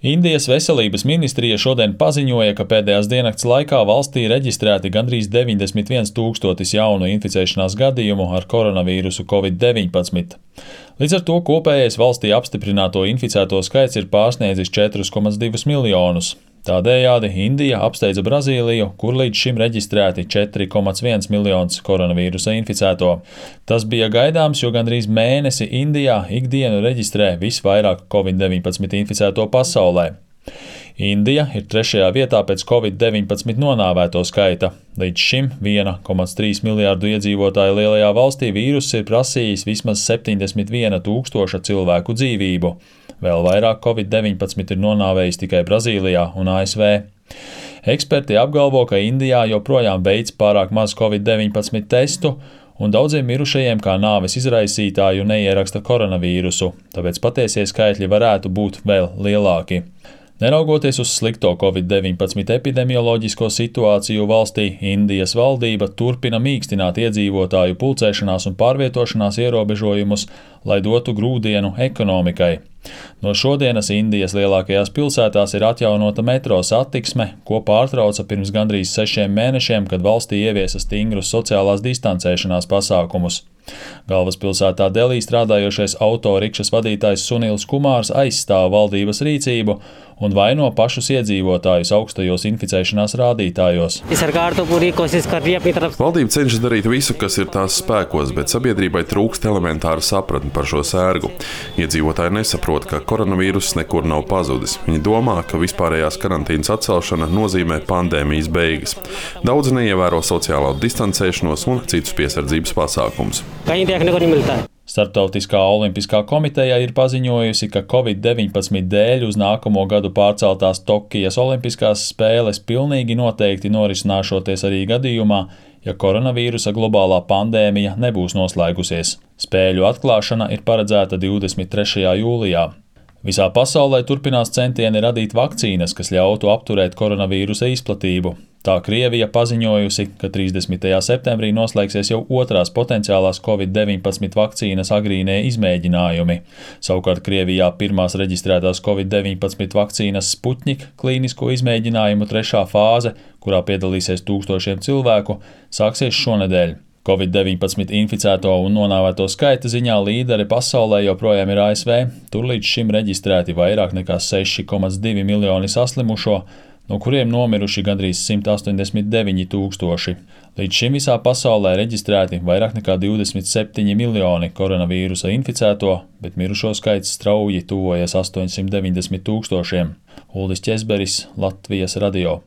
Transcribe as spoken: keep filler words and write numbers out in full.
Indijas veselības ministrija šodien paziņoja, ka pēdējās diennakts laikā valstī reģistrēti gandrīz deviņdesmit viens tūkstotis jaunu inficēšanās gadījumu ar koronavīrusu covid deviņpadsmit. Līdz ar to kopējais valstī apstiprināto inficēto skaits ir pārsniedzis četrus komats divus miljonus. Tādējādi Indija apsteidza Brazīliju, kur līdz šim reģistrēti četri komats viens miljonus koronavīrusa inficēto. Tas bija gaidāms, jo gandrīz mēnesi Indijā ikdienu reģistrē visvairāk covid deviņpadsmit inficēto pasaulē. Indija ir trešajā vietā pēc covid deviņpadsmit nonāvēto skaita. Līdz šim viena komats trīs miljārdu iedzīvotāju lielajā valstī vīruss ir prasījis vismaz septiņdesmit viena tūkstoša cilvēku dzīvību. Vēl vairāk covid deviņpadsmit ir nonāvējis tikai Brazīlijā un A S V. Eksperti apgalvo, ka Indijā joprojām veic pārāk maz covid deviņpadsmit testu, un daudziem mirušajiem kā nāves izraisītāju neieraksta koronavīrusu, tāpēc patiesie skaitļi varētu būt vēl lielāki. Neraugoties uz slikto covid deviņpadsmit epidemioloģisko situāciju valstī, Indijas valdība turpina mīkstināt iedzīvotāju pulcēšanās un pārvietošanās ierobežojumus, lai dotu grūdienu ekonomikai. No šodienas Indijas lielākajās pilsētās ir atjaunota metro satiksme, ko pārtrauca pirms gandrīz sešiem mēnešiem, kad valstī ieviesa stingrus sociālās distancēšanās pasākumus. Galvaspilsētā Delī strādājošais autorikšas vadītājs Sunils Kumārs aizstāv valdības rīcību un vaino pašus iedzīvotājus augstajos inficēšanās rādītājos. Valdība cenšas darīt visu, kas ir tās spēkos, bet sabiedrībai trūkst elementāra sapratne par šo sērgu. Iedzīvotāji nesaprot, ka koronavīruss nekur nav pazudis. Viņi domā, ka vispārējās karantīnas atcelšana nozīmē pandēmijas beigas. Daudzi neievēro sociālo distancēšanos un citus piesardzības pasākumus. Starptautiskā olimpiskā komiteja ir paziņojusi, ka covid deviņpadsmit dēļ uz nākamo gadu pārceltās Tokijas olimpiskās spēles pilnīgi noteikti norisināšoties arī gadījumā, ja koronavīrusa globālā pandēmija nebūs noslēgusies. Spēļu atklāšana ir paredzēta divdesmit trešajā jūlijā. Visā pasaulē turpinās centieni radīt vakcīnas, kas ļautu apturēt koronavīrusa izplatību. Tā Krievija paziņojusi, ka trīsdesmitajā septembrī noslēgsies jau otrās potenciālās covid deviņpadsmit vakcīnas agrīnie izmēģinājumi. Savukārt Krievijā pirmās reģistrētās covid deviņpadsmit vakcīnas Sputnik klīnisko izmēģinājumu trešā fāze, kurā piedalīsies tūkstošiem cilvēku, sāksies šonedēļ. covid deviņpadsmit inficēto un nonāvēto skaita ziņā līderi pasaulē joprojām ir A S V, tur līdz šim reģistrēti vairāk nekā seši komats divi miljoni saslimušo, no kuriem nomiruši gandrīz simt astoņdesmit deviņi tūkstoši. Līdz šim visā pasaulē reģistrēti vairāk nekā divdesmit septiņi miljoni koronavīrusa inficēto, bet mirušo skaits strauji tuvojas astoņsimt deviņdesmit tūkstošiem. Uldis Ķezberis, Latvijas radio.